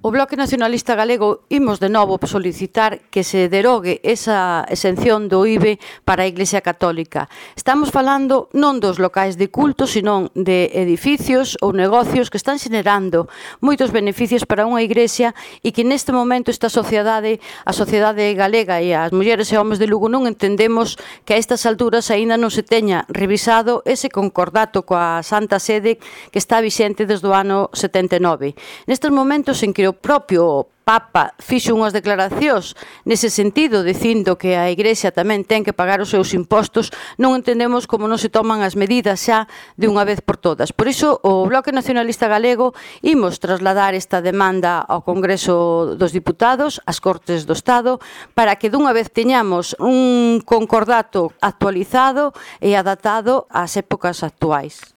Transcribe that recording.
O Bloque Nacionalista Galego imos de novo solicitar que se derogue esa exención do IBE para a Iglesia Católica. Estamos falando non dos locais de culto, senón de edificios ou negocios que están xenerando moitos beneficios para unha iglesia e que neste momento esta sociedade, a sociedade galega e as mulleres e homes de Lugo non entendemos que a estas alturas aínda non se teña revisado ese concordato coa Santa Sede que está vixente desde o ano 79. Nestes momentos en que o propio Papa fixo unhas declaracións nese sentido, dicindo que a Igrexa tamén ten que pagar os seus impostos, non entendemos como non se toman as medidas xa de unha vez por todas. Por iso, o Bloque Nacionalista Galego imos trasladar esta demanda ao Congreso dos Diputados, ás Cortes do Estado, para que dunha vez teñamos un concordato actualizado e adaptado ás épocas actuais.